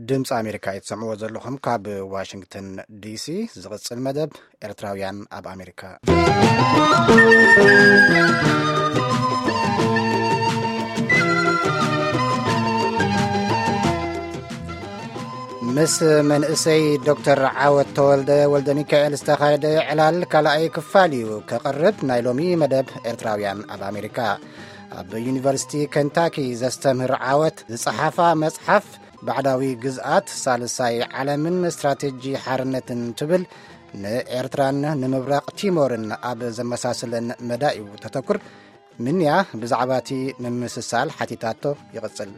ድምፂ ኣሜሪካ እየ ትሰምዕዎ ዘለኹም ካብ ዋሽንግተን ዲሲ። ዝቕፅል መደብ ኤርትራውያን ኣብ ኣሜሪካ። ምስ መንእሰይ ዶክተር ዓወት ተወልደ ወልደ ሚካኤል ዝተኻየደ ዕላል ካልኣይ ክፋል እዩ ከቕርብ ናይ ሎሚ መደብ ኤርትራውያን ኣብ ኣሜሪካ። ኣብ ዩኒቨርሲቲ ከንታኪ ዘስተምህር ዓወት ዝጸሓፋ መጽሓፍ ባዕዳዊ ግዝኣት ሳልሳይ ዓለምን ስትራቴጂ ሓርነትን ትብል ንኤርትራን ንምብራቕ ቲሞርን ኣብ ዘመሳስለን መዳይ እዩ ተተኩር። ምንያ ብዛዕባ እቲ ምምስሳል ሓቲታቶ። ይቕጽል።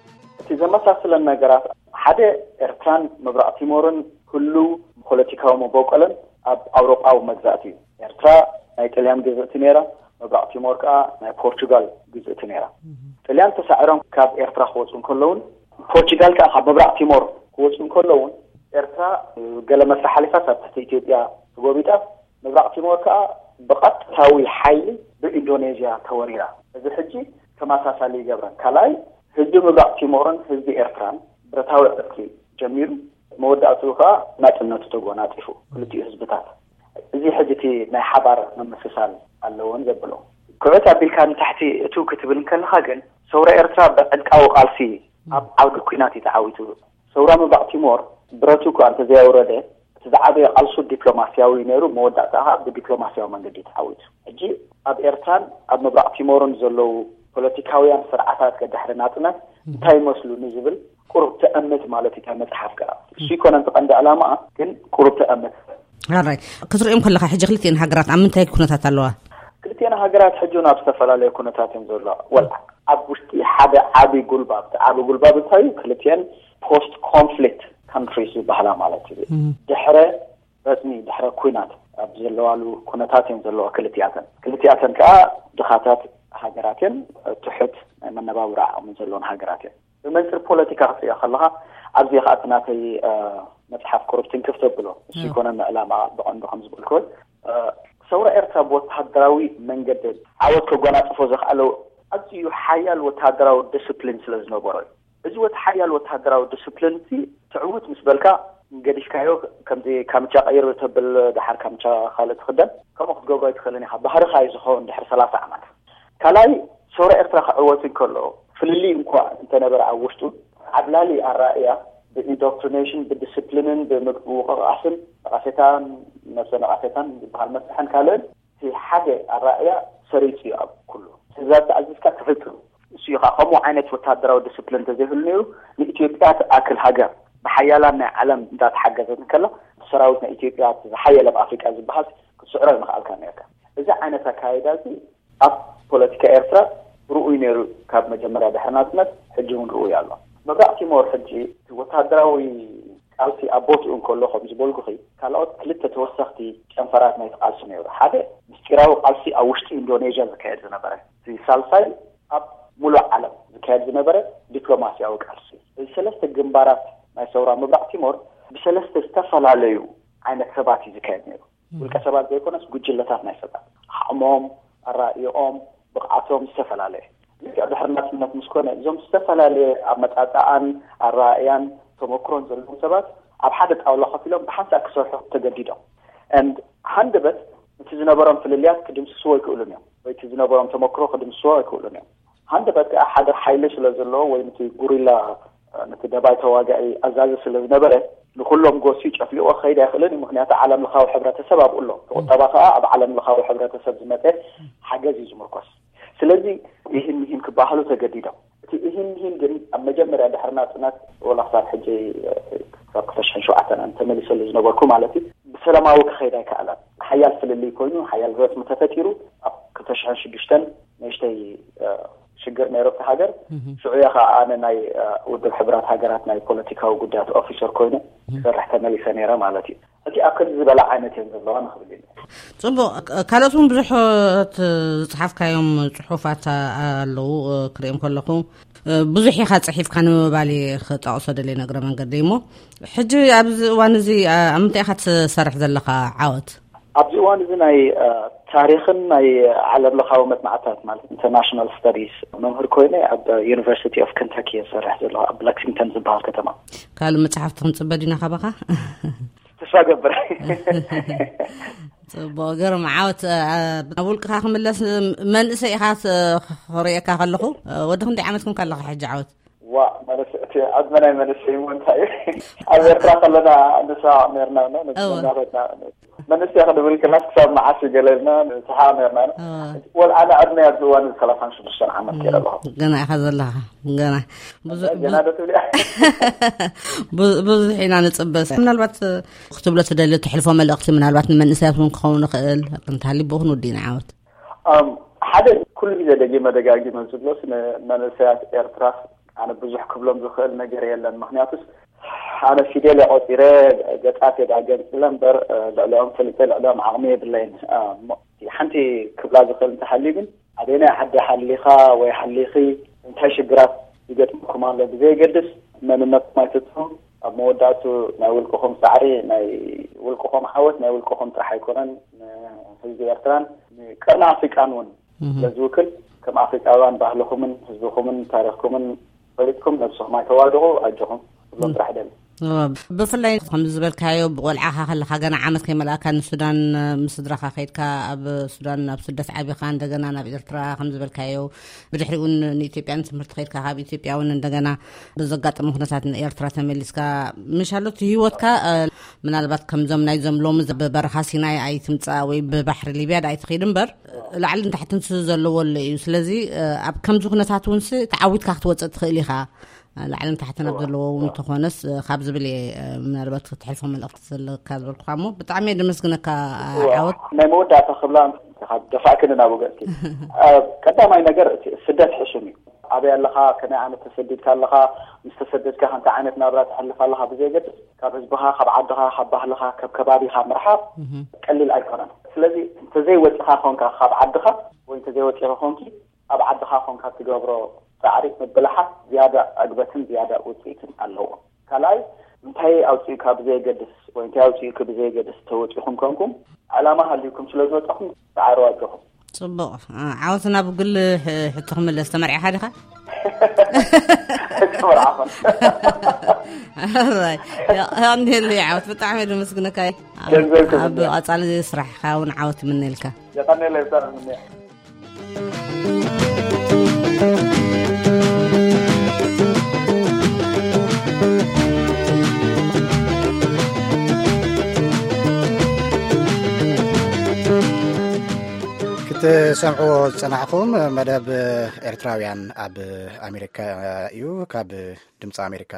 እቲ ዘመሳስለን ነገራት ሓደ ኤርትራን ምብራቕ ቲሞርን ህሉው ፖለቲካዊ መበቆለን ኣብ ኣውሮጳዊ መግዛእቲ እዩ። ኤርትራ ናይ ጥልያን ግዝእቲ ነይራ፣ ምብራቕ ቲሞር ከዓ ናይ ፖርቹጋል ግዝእቲ ነይራ። ጥልያን ተሳዒሮም ካብ ኤርትራ ክወፁ እንከለውን ፖርቹጋል ከዓ ካብ ምብራቕ ቲሞር ክወፁ እንከለውን ኤርትራ ገለ መስርሕ ሓሊፋ ኣብ ትሕቲ ኢትዮጵያ ተጎቢጣ፣ ምብራቕ ቲሞር ከዓ ብቐጥታዊ ሓይሊ ብኢንዶኔዥያ ተወሪራ። እዚ ሕጂ ተመሳሳሊ ይገብረን። ካልኣይ ህዝቢ ምብራቕ ቲሞርን ህዝቢ ኤርትራን ብረታዊ ዕርቂ ጀሚሩ መወዳእትኡ ከዓ ናጽነቱ ተጎናጺፉ ክልቲኡ ህዝብታት። እዚ ሕጂ እቲ ናይ ሓባር ምምስሳል ኣለዎን ዘብሎ። ክዕት ኣቢልካ ንታሕቲ እቱ ክትብል እንከለኻ ግን ሰውራ ኤርትራ ብዕጥቃዊ ቃልሲ ኣብ ዓውዲ ኲናት እዩ ተዓዊቱ። ሰውራ ምብራቕ ቲሞር ብረቱ እኳ እንተዘየውረደ እቲ ዝዓበየ ቃልሱ ዲፕሎማስያዊ ነይሩ። መወዳእታ ከዓ ብዲፕሎማስያዊ መንገዲ ተዓዊቱ። ሕጂ ኣብ ኤርትራን ኣብ ምብራቕ ቲሞርን ዘለዉ ፖለቲካውያን ስርዓታት ከድሕሪ ናጽነት እንታይ ይመስሉ ንዝብል ቁሩብ ተእምት ማለት እዩ። እታ መጽሓፍ ከዓ እሱ ይኮነ እቲ ቀንዲ ዕላማኣ ግን ቁሩብ ተእምት። ኣራይ ክትሪኦም ከለካ ሕጂ ክልቲኤን ሃገራት ኣብ ምንታይ ኩነታት ኣለዋ? ክልቲኤን ሃገራት ሕጂ ናብ ዝተፈላለዩ ኩነታት እየን ዘለዋ። ወላ ኣብ ውሽጢ ሓደ ዓቢ ጉልባብ፣ እቲ ዓቢ ጉልባብ እንታይ እዩ? ክልቲኤን ፖስት ኮንፍሊክት ካንትሪስ ዝበሃላ ማለት እዩ። ድሕረ ረጽሚ ድሕረ ኩናት ኣብ ዘለዋሉ ኩነታት እየን ዘለዋ ክልቲኣተን። ክልቲኣተን ከዓ ድኻታት ሃገራት እየን፣ ትሑት ናይ መነባብሮ ዓቕሚ ዘለወን ሃገራት እየን። ብመንፅር ፖለቲካ ክትሪኦ ከለካ ኣብዚ ከዓ እቲ ናተይ መፅሓፍ ቁሩብ ትንክፍ ተብሎ እሱ ይኮነ ዕላማ ብቐንዱ ከም ዝበልክወን ሰውራ ኤርትራ ብወተሃደራዊ መንገዲ ዓወት ከጎናፅፎ ዘኽኣለው ኣዝዩ ሓያል ወተሃደራዊ ዲስፕሊን ስለ ዝነበሮ እዩ። እዚ ወተ ሓያል ወተሃደራዊ ዲስፕሊን እዚ ትዕውት ምስ በልካ ገዲፍካዮ ከምዚ ካምቻ ቀይር ተብል ደሓር ካምቻ ካልእ ትኽደን ከምኡ ክትገብሮ ኣይትኽእልን ኢኻ። ባህርኻ እዩ ዝኸውን ድሕሪ ሰላሳ ዓመት። ካልኣይ ሰውራ ኤርትራ ክዕወት እንከሎ ፍልልይ እንኳ እንተነበረ ኣብ ውሽጡ ዓብላሊ ኣራእያ ብኢንዶክትሪኔሽን ብዲስፕሊንን ብምውቕቓስን ነቐፌታን ነብሰ ነቐፌታን ዝበሃል መስርሕን ካልእን እቲ ሓደ ኣራእያ ሰሪፁ እዩ ኣብ ኩሉ ትእዛዝ ተኣዚዝካ ትፍፅም። እሱ እዩ ከዓ ከምኡ ዓይነት ወታደራዊ ዲስፕሊን እንተዘይህሉ ነይሩ ንኢትዮጵያ ትኣክል ሃገር ብሓያላን ናይ ዓለም እንዳተሓገዘት እንከላ ሰራዊት ናይ ኢትዮጵያ ዝሓየለ ኣብ ኣፍሪቃ ዝበሃል ክትስዕሮ ይምኽኣልካ ነርካ። እዚ ዓይነት ኣካይዳ እዚ ኣብ ፖለቲካ ኤርትራ ርኡይ ነይሩ ካብ መጀመርያ ድሕሪ ናጽነት ሕጂ እውን ርኡይ ኣሎ። ምብራቕ ቲሞር ሕጂ እቲ ወታደራዊ ቃልሲ ኣብ ቦትኡ እንከሎ ከም ዝበልኩኺ ካልኦት ክልተ ተወሰኽቲ ጨንፈራት ናይቲ ቃልሲ ነይሩ። ሓደ ምስጢራዊ ቃልሲ ኣብ ውሽጢ ኢንዶኔዥያ ዝካየድ ዝነበረ፣ እቲ ሳልሳይ ኣብ ሙሉእ ዓለም ዝካየድ ዝነበረ ዲፕሎማስያዊ ቃልሲ። እዚ ሰለስተ ግንባራት ናይ ሰውራ ምብራቕ ቲሞር ብሰለስተ ዝተፈላለዩ ዓይነት ሰባት እዩ ዝካየድ ነይሩ። ውልቀ ሰባት ዘይኮነስ ጉጅለታት ናይ ሰባት ዓቕሞም ኣራእዮኦም ብቕዓቶም ዝተፈላለየ ልክዕ ድሕሪ ናፅነት ምስ ኮነ እዞም ዝተፈላለየ ኣመፃፅኣን ኣረኣእያን ተመክሮን ዘለዎም ሰባት ኣብ ሓደ ጣውላ ኮፍ ኢሎም ብሓንሳእ ክሰርሑ ተገዲዶም። And ሃንደበት እቲ ዝነበሮም ፍልልያት ክድምስስዎ ኣይክእሉን እዮም ወይ እቲ ዝነበሮም ተመክሮ ክድምስስዎ ኣይክእሉን እዮም። ሃንደበት ከዓ ሓደ ሓይሊ ስለ ዘለዎ ወይ ነቲ ጉሪላ ነቲ ደባይ ተዋጋኢ ኣዛዚ ስለ ዝነበረ ንኩሎም ጎስዩ ጨፍሊቑ ክኸይድ ኣይኽእልን እዩ። ምክንያቱ ዓለም ለኻዊ ሕብረተሰብ ኣብኡ ኣሎ። እቲ ቁጠባ ከዓ ኣብ ዓለም ለኻዊ ሕብረተሰብ ዝመፀ ሓገዝ እዩ ዝምርኮስ። ስለዚ ይህን ይህን ክበሃሉ ተገዲዶም። እቲ ይህን ይህን ግን ኣብ መጀመርያ ድሕሪ ናፅነት ወላ ክሳብ ሕጂ ክሳብ ክልተ ሽሕን ሸውዓተን ተመሊሰሉ ዝነበርኩ ማለት እዩ ብሰላማዊ ክኸይድ ኣይከኣለን። ሓያል ፍልልይ ኮይኑ ሓያል ረፅሚ ተፈጢሩ ኣብ ክልተ ሽሕን ሽዱሽተን ንእሽተይ ሽግር ነይሩ ኣብቲ ሃገር። ሽዑ እየ ከዓ ኣነ ናይ ውድብ ሕቡራት ሃገራት ናይ ፖለቲካዊ ጉዳያት ኦፊሰር ኮይነ ክሰርሕ ተመሊሰ ነይረ ማለት እዩ። ሕጂ ኣብ ከምዚ ዝበለ ዓይነት እየን ዘለዋ ንኽብል እዩ። ፅቡቕ። ካልኦት እውን ብዙሓት ዝፅሓፍካዮም ፅሑፋት ኣለዉ። ክርእዮም ከለኹ ብዙሕ ኢኻ ፅሒፍካ ንምባል ክጠቕሶ ደልየ ነግረ መንገዲ እሞ ሕጂ ኣብዚ እዋን እዚ ኣብ ምንታይ ኢኻ ትሰርሕ ዘለኻ ዓወት? ኣብዚ እዋን እዚ ናይ ታሪኽን ናይ ዓለም ለኻዊ መጽናዕታት ማለት ኢንተርናሽናል ስተዲስ መምህር ኮይነ ኣብ ዩኒቨርሲቲ ኦፍ ከንታኪ እየ ዝሰርሕ ዘለኹ፣ ኣብ ለክሲንግተን ዝበሃል ከተማ። ካልእ መጽሓፍቲ ክንጽበ ዲና ካባኻ? ተስፋ ገብር። ጽቡቕ፣ ገርም ዓወት። ኣብ ውልቅኻ ክምለስ፣ መንእሰይ ኢኻ፣ ክርእየካ ከለኹ። ወዲ ክንደይ ዓመት ኮንካ ኣለኻ ሕጂ ዓወት? ዋ፣ ማለት እቲ ዕድመ ናይ መንእሰይ እሞ እንታይ እዩ? ኣብ ኤርትራ ከለና ንስሓቕ ነርና። እወ። መንእሰይ ክንብል ከላስ ክሳብ መዓስ እዩ ገለ ኢልና ንስሓቕ ነርና። ወል ኣነ ዕድመ ኣብዚ እዋን እዚ ሰላሳን ሽዱሽተን ዓመት ገይረ ኣለኹ። ገና ኢኻ ዘለኻ። ገና ብዙ- ገና ዶ ትብሊ? ብዙ- ብዙሕ ኢና ንጽበስ። ምናልባት ክትብሎ ትደሊ፣ ትሕልፎ መልእኽቲ ምናልባት ንመንእሰያት እውን ክኸውን ይኽእል፣ እንተሃልዩ ብኡ ክንውዲ ኢና ዓወት። ሓደ ኩሉ ግዜ ደጊመ ደጋጊመ ዝብሎስ ንመንእሰያት ኤርትራ ኣነ ብዙሕ ክብሎም ዝኽእል ነገር የለን። ምክንያቱስ ኣነ ፊደል የቆፂረ ገጣት የዳገንፅለ እምበር ልዕሊኦም ፍልጠ ልዕሊኦም ዓቕሚ የብለይን። ሓንቲ ክብላ ዝኽእል እንተሃልዩ ግን ኣበየናይ ዓዲ ሓሊኻ ወይ ሓሊኺ እንታይ ሽግራት ይገጥምኩም ኣሎ ብዘየገድስ መንነትኩም ኣይትጥፉ። ኣብ መወዳእቱ ናይ ውልቅኹም ፃዕሪ ናይ ውልቅኹም ዓወት ናይ ውልቅኹም ጥራሕ ኣይኮነን፣ ንህዝቢ ኤርትራን ንቀርኒ ኣፍሪቃን እውን ስለዝውክል ከም ኣፍሪቃውያን ባህልኹምን ህዝብኹምን ታሪኽኩምን ፈሊጥኩም ነብስኹም ኣይተዋድቑ። ኣጆኹም ክብሎም ጥራሕ ደሊ። ብፍላይ ከምዚ ዝበልካዮ ብቆልዓኻ ከለካ ገና ዓመት ከይመልኣካ ንሱዳን ምስ ስድራኻ ከይድካ ኣብ ሱዳን ኣብ ስደት ዓቢኻ እንደገና ናብ ኤርትራ ከምዚ ዝበልካዮ ብድሕሪኡ ንኢትዮጵያ ንትምህርቲ ከይድካ ካብ ኢትዮጵያ እውን እንደገና ብዘጋጠመ ኩነታት ንኤርትራ ተመሊስካ ምሻሎት ህይወትካ ምናልባት ከምዞም ናይዞም ሎሚ ብበረኻ ሲናይ ኣይትምፃእ ወይ ብባሕሪ ሊብያ ኣይትኸይድ እምበር ላዕልን ታሕትን ስ ዘለዎ ኣሎ እዩ። ስለዚ ኣብ ከምዚ ኩነታት እውን ስ ተዓዊትካ ክትወፅእ ትኽእል ኢኻ። ላዕልን ታሕትን ኣብ ዘለዎ እውን እንተኾነስ ካብ ዝብል እየ ምናልባት ክትሕልፎ መልእኽቲ ዘለካ ዝበልኩኻ እሞ ብጣዕሚ እየ ደመስግነካ ዓወት። ናይ መወዳእታ ክብላ ደፋእክኒ ናብ ገፅኪ። ቀዳማይ ነገር እቲ ስደት ሕሱም እዩ። ኣበይ ኣለኻ? ከመይ ዓይነት ተሰዲድካ ኣለኻ? ምስ ተሰደድካ እንታይ ዓይነት ናብራ ተሕልፍ ኣለኻ ብዘየገድስ ካብ ህዝብኻ፣ ካብ ዓድኻ፣ ካብ ባህልኻ፣ ካብ ከባቢኻ ምርሓቕ ቀሊል ኣይኮነን። ስለዚ እንተዘይወፅኻ ኮንካ ካብ ዓድኻ ወይ እንተዘይወፂኻ ኮንኪ ኣብ ዓድኻ ኮንካ ትገብሮ ፃዕሪ ምብልሓት ዝያዳ ዕግበትን ዝያዳ ውፅኢትን ኣለዎ። ካልኣይ እንታይ ኣውፅእካ ብዘየገድስ ወይ እንታይ ኣውፅእኪ ብዘየገድስ ተወፂኹም ኮንኩም ዕላማ ሃልዩኩም ስለ ዝወፀኹም ፃዕሩ ኣጆኹም። ፅቡቕ። ዓወት ናብ ግል ሕቶ ክምለስ፣ ተመርዒኻ ዲኻ? ተመርዓኹም። ኣራይ። የቐንየለይ ዓወት፣ ብጣዕሚ እየ ደመስግነካ። ኣብ ቀፃሊ ስራሕካ እውን ዓወት ይምነልካ። የቐንየለይ ብጣዕሚ። ክትሰምዕዎ ዝጸናሕኹም መደብ ኤርትራውያን ኣብ ኣሜሪካ እዩ፣ ካብ ድምፂ ኣሜሪካ።